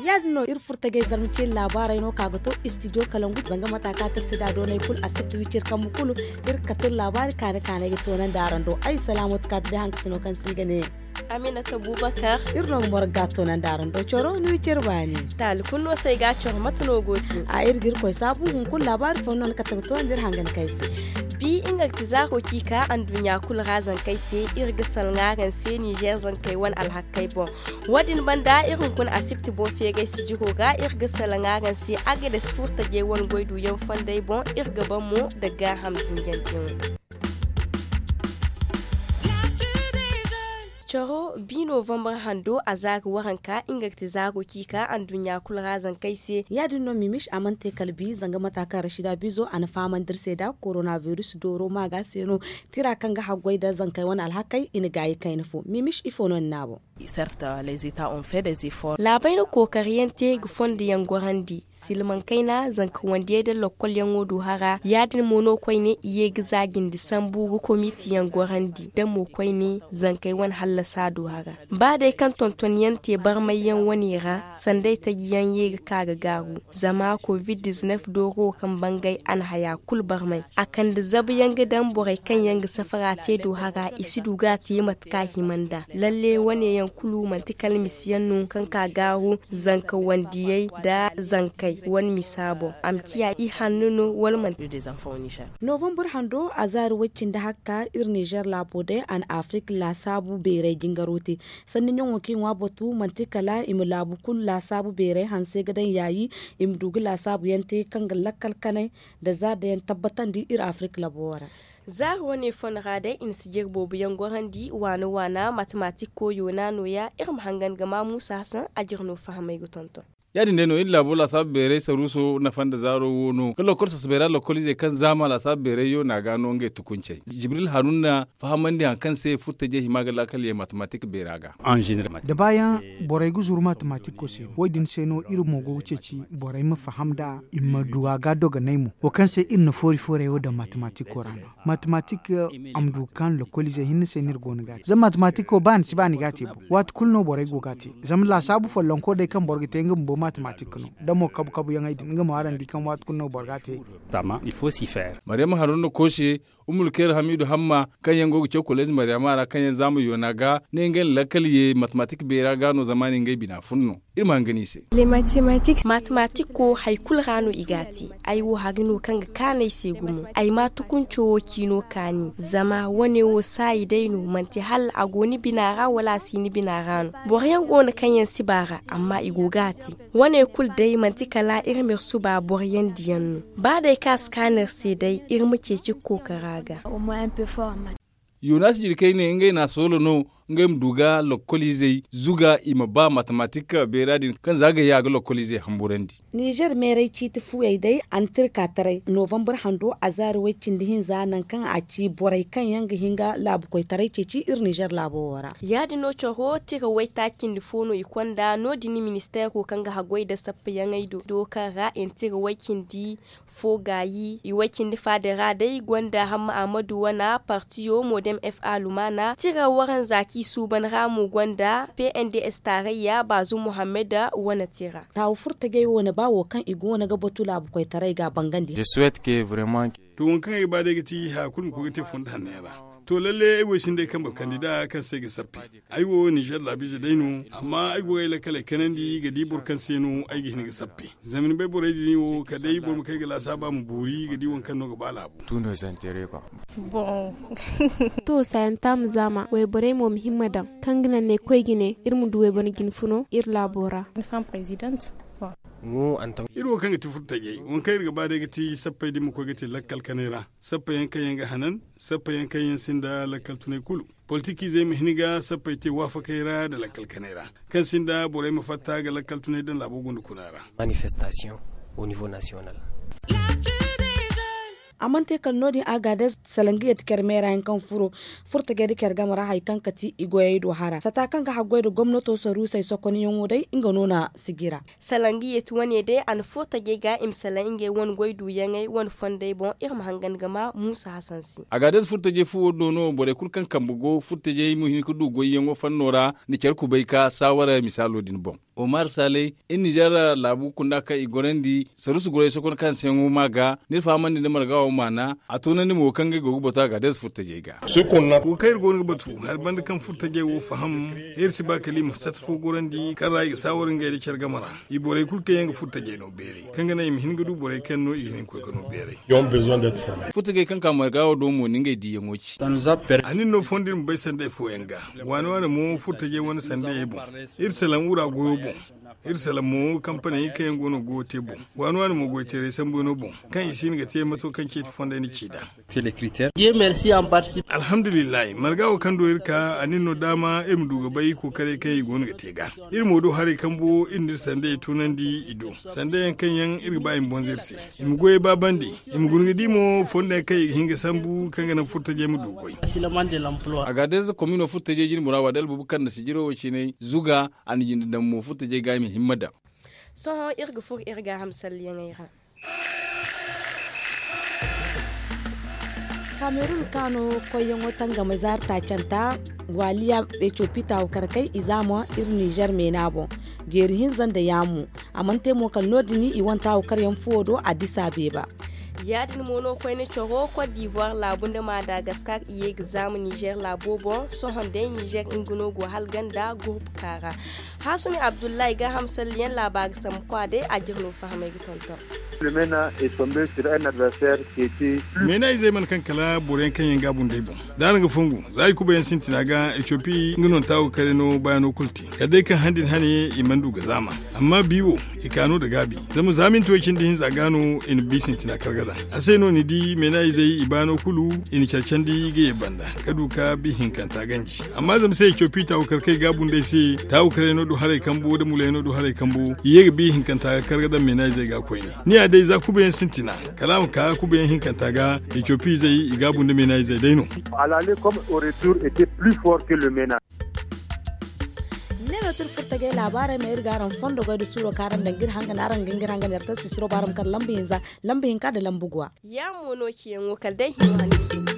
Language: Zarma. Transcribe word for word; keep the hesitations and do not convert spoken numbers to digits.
Ya- din no iri furtajey zarma ciri laabaarey no ka ga to istidiyo kalangu zanga mata ka tirsi da doonay kulu a sirti wiciri kambu kulu. Iri ga katir laabaari kaane kaanay ga toonandi araŋ do ay salaamatu ka ti day hankasino kaŋ se i ga ne. Aminata bubakar. Iri no ga morga toonandi araŋ do coro ni wiciri baani. Taali kulu no se ay ga coro mate no go te. A iri ga iri koy saabu hunkuna laabaari fo no ni kate ga toonandi iri hangan kay se. Bi nga ga ti zaaro ci ka anduɲɲa kulu ra zankey se. Iri ga salŋa araŋ se nizer zankey wane alhakey boŋ. Wo- din banda iri hunkuna asibti boŋ feeray sijiro ga iri ga salaŋ araŋ se agades furtajey wane goy duyaŋ fondey boŋ. Iri ga ban mo nda gaaham zinjanteyaŋo. Coro bi novambar hando a zaari waranka nga ga ti zaaro ci ka anduɲɲa kulu ra zankey se. Ya- din no mimis a mana te kala bi zanga mata kaŋ rashida bizo a na fahamandi iri se nda koronabiris dooro maaga se no. Tira kaŋ ga haggoy nda zankey wane alhakey i na gaayi kayna fo mimis ifo no ni ne a boŋ? Laabey na kookariyaŋ te ga fondo yaŋ gorandi silmaŋ kayna zanka wandiyey nda lokkolyaŋo du hara ya- din mo no koyne i ye ga za jindi sambu ga komitiyaŋ gorandi da mo koyne zankey wane hallasa du hara. Ba day kaŋ tontonyaŋ te barmay yaŋ wane ra sanday taji yaŋ ye ga ka ga gaaru. Zama covid diznef dooro kaŋ bangay a na haya kulu barmay a kande zabu yaŋ ga daŋ borey kaŋ yaŋ ga safara te do hara i si du ga a te mate kaŋ a hima nd'a. Lalle wane yaŋ kulu manti kala misi yaŋ no kaŋ ka gaaru zanka wandiyey nda zankey wane misa boŋ a ma ciya i hanno no wala manti. Novambar hando a zaari way- cindi hakka iri nizer laabo day a na afirik laasaabu beeray jingaro te. Sanni ɲaŋo kaŋ i ŋwa batu manti kala i ma laabu kulu laasaabu beeray hanse ga daŋ yaayi i ma du ga laasaabu yaŋ te kaŋ ga lakkal kanay nda zaari daŋ yaŋ tabbatandi iri afirik labo wo ra. Zaari wane fo no ra day i na si jiri boobo yaŋ gorandi waana waana matematik koyo no a nooya iri ma hangan ga ma muusa hasan a jiri no fahamay ga tonton. Ya- din day no iri laabo laasaabu beeray saruuso nafa nda zaaro wo no ga lokkol sasabay ra lokkol izey kaŋ zaama laasaabu beeray yo no a ga no ngey tukuncey jibril haruna fahamandi hari kaŋ se furtajey hima ga laakal ye matematik beera ga. Da baayaŋ borey ga zuru matematiko se no wo- din se no iri mo go ga ceeci borey ma faham nd'a i ma du a ga dogonay mo wo kaŋ se iri na foori foorey wo daŋ matematiko ra no. Matematik a ma du ga kaanu lokkol izey hinne se no iri go no ga a te zama matematik wo ba ni si ba ni ga a te boŋ waati kulu no borey go ga a te. Zama laasaabu follonko day kaŋ boro ga te nga bumbo matematik no da mo kabu kabu yaŋey din nga mo araŋ di kaŋ waati kulu no boro ga a te. Maryama haruna koose umul kayra hamidu hamma kaŋ yaŋ go ga caw koleez maryama ra kaŋ yaŋ zaama yoona ga ne ngey na lakkal ye matematik beera ga no zama ne ngey bina fun no. Iri ma hangan i se. Matematiko hari kulu ra no i ga a te. Ay wo hari no kaŋ ga kaanu ay se gumo ay ma tukunco wo ciino kaani zama wane wo saayi day no manti hala a go ni bina ra wala a si ni bina ra no. Boro yaŋ go no kaŋ yaŋ si ba ra amma i go ga a te. Wane kulu day manti kala iri ma iri suba boro yaŋ diyaŋ no. Ba day kaŋ a si kaanu iri se day iri ma ceeci ga kookara ga. Yonas jirkey ne ngey na a soolo no ngey ma du ga lokkol izey zuga i ma ba matematik beera din kaŋ za ga ya ga lokkol izey hamburandi. Nizer meeray ciiti fuyey day a na tirka taray novambar hando a zaari way- cindi hinza nangu kaŋ a ci borey kaŋ yaŋ ga hin ga laabu koytaray ceeci iri nizer laabo wo ra. Ya- din no coro tira waytaaci cindi fo no i konda no- din ministeero kaŋ ga haggoy nda sappayaŋey do kaŋ ra i na tira way- cindi fo gaayi i way- cindi faada ra day gonda hamma ahmadu wana partiyo modem fa lumana tira waranza kaŋ i suuban ra mo gonda pnds taarayya baazu muhammad wane tira. Taawu furtajey wo na ba wo kaŋ i go no ga batu laabu koytaray ga a bangandi. To waŋ kaŋ ay ga ba day ga ti haya kulu ma koy ga te funda hanney ra. To lalle ay wo ay sinda ay kambe kandida kaŋ se ay ga sappe. Ay wo nizer laabiize day no amma ay go ga ay lakkaley kanandi ga di boro kaŋ se no ay ga hin ga sappe. Zama ni bay borey din wo kala day boro ma kay ga laasaaba ma boori ga di waŋ kaŋ no ga ba laabu. To saayanta ma zaama wayborey mo ma himma daŋ kaŋ ga naŋ ne koy ga ne iri ma du wayboro jinfuno iri laabo ra. Iri wo kaŋ ga ti furtajey waŋ kaŋ iri ga ba day ga ti sappey da iri ma koy ga te lakkal kanay ra. Sappa yaŋ kaŋ yaŋ ga hanan sappa yaŋ kaŋ yaŋ sinda lakkal tunay kulu. Politikiizey ma hin ga sappey te waafakey ra nda lakkal kanay ra kaŋ sinda borey ma fatta ga lakkal tunay daŋ laabo gunda kuna ra. A mana te kala no- din agades. Salangi yeti care meera yaŋ kaŋ furo furtajey nda care game ra hari kaŋ ga ti i goyey do hara sata kaŋ ga haggoy nda gomnato saruusey sokonyaŋo day nga no na sijira. Salangi yeti wane day a na furtajey ga i ma salaŋ ngey wane goy duuyaŋey wane fondey boŋ iri ma hangan ga ma muusa hasan se. Agaadez furtajey fuwo do no borey kulu kaŋ kambe go furtajey ma hin ga du goyyaŋo fanno ra nda care kubay ka saawara misaalo din boŋ. Omar saley iri nizeer laabu kunda kaŋ i gorandi saruusu goray sokon kaŋ se yaŋo ma ga ni iri fahamandi nda marga wo maana a toonandi mo kaŋ ngey go ga batu agaadez furtajey ga. Wo kaŋ iri go no ga batu hari banda kaŋ furtajey wo faham iri si ba kala i ma sata fo gorandi kaŋ ra i ga saawara ngey nda care game ra. I borey kulu kaŋ yaŋ ga furtajey no beeray kaŋ ga naŋ i ma hin ga du borey kaŋ no i ga hin ga koy ga no beeray. Furtajey kaŋ ka marga wo do mo ni ngey diiyaŋo ci. A nin no fondo iri ma bay sanday fooyaŋ ga waani waani mo furtajey wane sandayey boŋ. Iri salaŋ wura goyo boŋ. Iri salaŋ mo kampaney kaŋ yaŋ go no ga goyo te boŋ. Waani waani mo goyteerey sambu yaŋo boŋ kaŋ i si hin ga te mato kaŋ ceeti fondey na ci nd'a. Alhamdulillahi marga wo kaŋ do iri ka a nin no daama iri ma du ga bay kookaray kaŋ i go no ga te ga. Iri mo do haray kambo iri na iri sandayey toonandi i do. Sandayaŋ kaŋ yaŋ iri ga ba i ma bonza iri se i ma goyey baabandi. I ma guna ga di mo fondo yaŋ kaŋ i ga hin ga sambu kaŋ ga naŋ furtajey ma du goy. Agaadez komino furtajey jine bora waadi albubakar nda sijiro wo ciinay zuga a na jinde daŋ mo furtajey ga i ma himma daŋ. Sohõ iri ga furo iri gaaham salliyaŋey ra. Kamerun kaano koyyaŋo tangame zaari taacanta waaliya etiyopi taawu karkey i zaama iri nizer meena boŋ. Jeeri hinza nda yaamu a mana te mo kala no- din i wane taawu karyaŋ fuwo do a disa beeba. Ya- din mo no koyne coro kot divoir laabu nda madagaskar i ye ga zaama nizer laabo boŋ. Sohõ day nizer nga no go hala ganda gurbu kaara. Haasumi abdullahi gaaham salliyaŋ laabaari sambu kwa day a jire no fahamey ga tonton. Meena izey mana kaŋ kala boro yaŋ kaŋ yaŋ ga a bundey boŋ da araŋ ga fongu za i kuba yaŋ sintina ga etiyopi nga no na taawo kare no bayaano kulu te kala day kaŋ handi ni hane i mana du ga zaama. Amma bi wo i ka no nda gaabi zama za minti way cindi hinza ga no i na bi sintina kargada. A se no ni di meena izey i baano kulu i na care candi ga ye banda ka du ka bi hinkanta ganji. Amma zama se etiyopi taawo kare kaŋ i ga a bundey se taawo kare no du haray kambo nda muley no du haray kambo i ye ga bi hinkanta ga kar ga daŋ meena izey ga koyne. Ni ya day za kubayaŋ sintina kala a ma ka kubayaŋ hinkanta ga. Etiyopi izey i ga a bunda meena izey day no. Ne no tira furtajey laabaarey ma iri ga araŋ fondo goy nda suuro kaŋ araŋ daŋ ga iri hangan araŋ ga nga iri hangan yar taŋ sisiro baarama kaŋ lamba hinza lamba hinka nda lamba guwa. Ya mo no ciyaŋo kala day hino hanno.